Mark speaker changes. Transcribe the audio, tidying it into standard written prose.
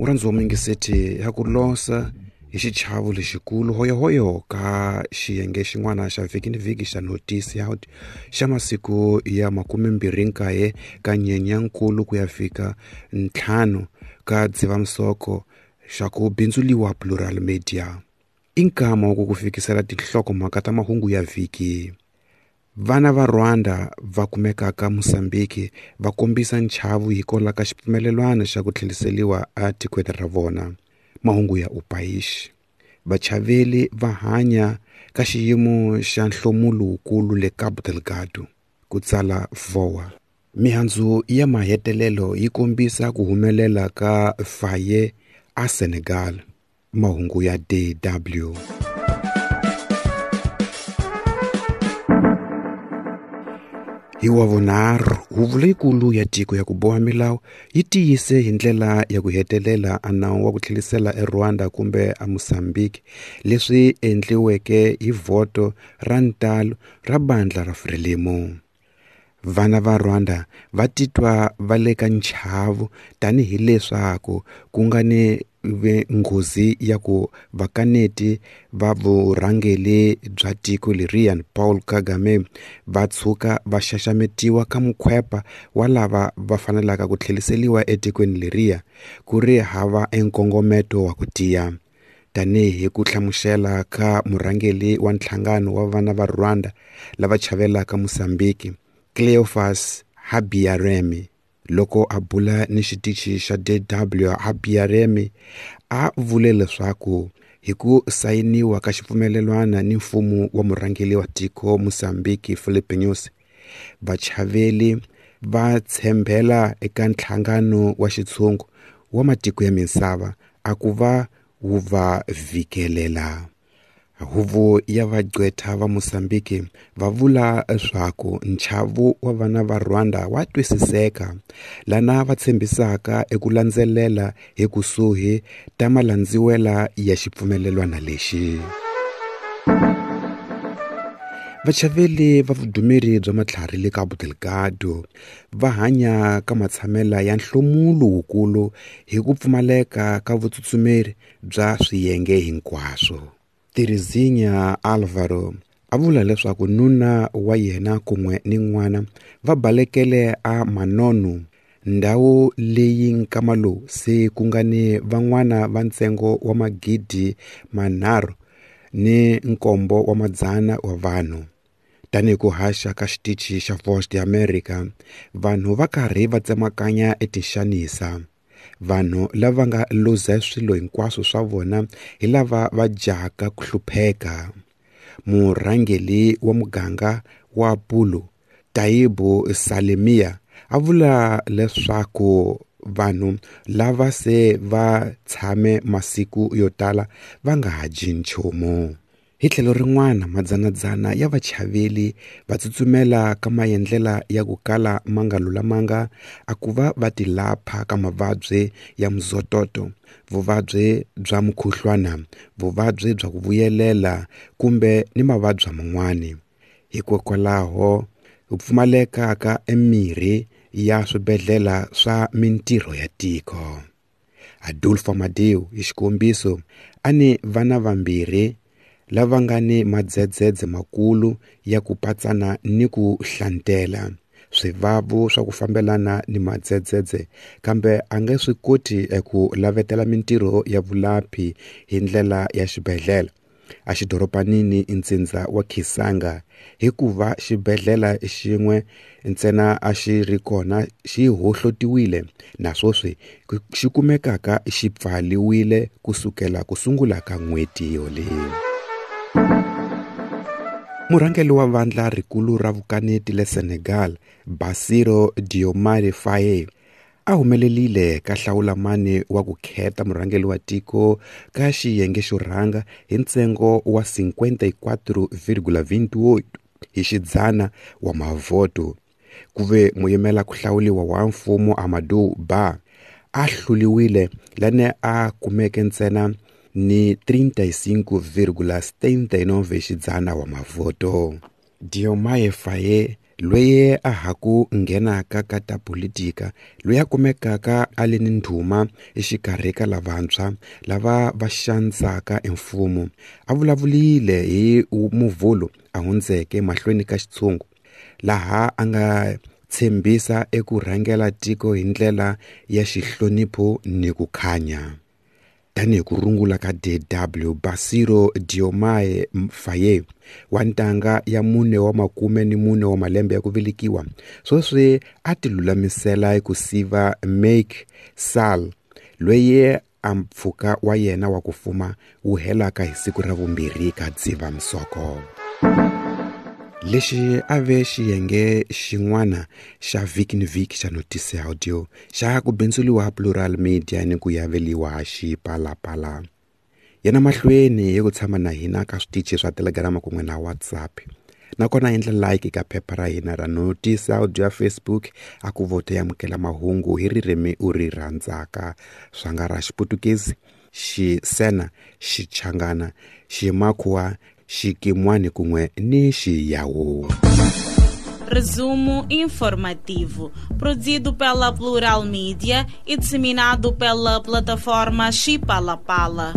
Speaker 1: Murhandzi wa muyingiseti ya ku losa hi xichavo lexikulu hoyohoyo ka xiyenge xin'wana xa vhiki ni vhiki xa Notice Out xa masiku ya 29 ka Nyenyankulu ku ya fika 5 ka Dzivamisoko xa ku bindzuliwa Plural Media. I nkama wa ku ku fikisela tinhlokomhaka ta mahungu ya vhiki. Vana va Rwanda va kumekaka Mozambique va kombisa nchavu hikwalaho ka xipfumelelwano xa ku tlheliseriwa etikweni ra vona. Mahungu ya Upaish. Vachaveli va hanya ka xiyimo xa nhlomulo wukulu le Cabo Delgado, ku tsala VOA. Mihandzu ya mahetelelo yi kombisa ku humelela ka Faye a Senegal. Mahungu ya DW. Hi wa vunharhu, huvo leyikulu ya tiko ya ku boha milawu yi tiyise hi ndlela ya ku hetelela a nawu wa ku tlhelisela eRwanda kumbe eMozambique leswi endliweke hi vhoto ra ntalo ra bandla ra Frelimo. Vana va Rwanda va titwa va le ka nchavu tanihileswaku ku nga ni nghozi ya ku vakaneti va vurhangeri bya tiko leriya Paul Kagame va tshuka va xaxametiwa ka mukhwepa wa lava va fanelaka ku tlheliseriwa etikweni leriya ku ri hava enkongometo wa ku tiya. Tanihi ku hlamusela ka murhangeri wa nhlangano wa vana va Rwanda lava chavelaka Mozambique, Cleophas Habiyaremye, loko a bula ni xitichi xa DW, Habiyaremye a vule leswaku hi ku sayiniwa ka xipfumelelwana ni mfumo wa murhangeri wa tiko Mozambique Filipe Nyusi, vachaveli va tshembela eka nhlangano wa xitshungu wa matiko ya misava a ku va wu va vhikelela. Huvo ya vagqwetha va Mozambique va vula leswaku nchavu wa vana va Rwanda wa twisiseka, lana va tshembisaka eku landzelela hi kusuhi ta malandziwela ya xipfumelelwana lexi. Vachaveli va vudumeri bya matlhari le Cabo Delgado va hanya ka matshamela ya nhlomulo wukulu hi ku pfumaleka ka vutsutsumeri bya swiyenge hinkwaswo. Terezinha Alvaro a vula leswaku nuna wa yena kun'we ni n'wana va balekele a Manono, ndhawu leyi nkama lowu se ku nga ni van'wana va ntsengo wa 3,700 wa vanhu. Tanihi ku haxa ka xitichi xa Voice of America, vanhu va karhi va tsemakanya etinxanisa. Vanhu lava nga luza swilo hinkwaswo swa vona hi lava va jahaka ku hlupheka. Murhangeri wa muganga wa Pulo, Taibu Salemia, a vula leswaku vanhu lava se va tshame masiku yo tala va nga ha dyi nchumu. Hi tlhelo rin'wana, madzanadzana ya vachaveli va tsutsumela ka maendlela ya ku kala ma nga lulamanga a ku va va tilapha ka mavabyi ya mzototo, vuvabyi bya mukhuhlwana, vuvabyi bya ku vuyelela kumbe ni mavabyi man'wana. Hikokwalaho ku pfumaleka ka emirhi ya swibedhlele swa mintirho ya tiko. Adolfo Amadeu, hi xikombiso, a ni vana vambirhi lava nga ni madzedzedze makulu ya ku patsana ni ku hlantela, swivavu swa ku fambelana ni madzedzedze, kambe a nga swi koti eku lavetela mintirho ya vulaphi hi ndlela ya xibedhlele a xidorobanini ntsindza wa Kisanga, hikuva xibedhlele xin'we ntsena a xi ri kona xi hohlotiwile na sweswi xi kumekaka xi pfaliwile kusukela ku sungula ka n'hweti yoleyi. Murhangeri wa vandla rikulu ra vukaneti le Senegal, Bassirou Diomaye Faye, a humelelile ka hlawulamani wa ku kheta murhangeri wa tiko ka xiyenge xo rhanga hi ntsengo wa 54,28 hi xidzana wa mavhoto. Ku ve muyimela ku hlawuliwa wa mfumo Amadou Ba a hluliwile lane a kumeke ntsena ni 35,79 xidzana wa mavhoto. Diomaye Faye Loyi a ha ku nghenaka ka ta politika, loyi a kumekaka a li ni ndhuma exikarhi ka lavantshwa lava va xanisaka emfumo, a vulavulile hi Muvhulo a hundzeke mahlweni ka xitshungu, laha a nga tshembisa eku rhangela tiko hi ndlela ya xihlonipho ni ku khanya. Tanihi ku rungula ka DW, Bassirou Diomaye Faye wa ntanga ya 44 wa malembe ya ku velekiwa, sweswi a tilulamisela ku siva Macky Sall, loyi a mpfhuka wa yena wa ku fuma wu helaka hi siku ra vumbirhi ka Dzivamisoko. Lexi a ve xiyenge xin'wana xa vhiki ni vhiki xa Notice Audio xa ku bindzuriwa Plural Media ni ku yaveliwa Xipalapala. Yana mahlweni hi ku tshama na hina ka switichi swa Telegram kun'we na WhatsApp. Nakona endla like ka phepha ra hina ra Notice Audio ya Facebook, a ku vote amukela mahungu hi ririmi u ri rhandzaka, swa nga ra Xiputukezi, Xisena, Xichangana, Ximakhuwa, Xikimwani kun'we ni Xiyawu.
Speaker 2: Resumo informativo, produzido pela Plural Mídia e disseminado pela plataforma Xipalapala.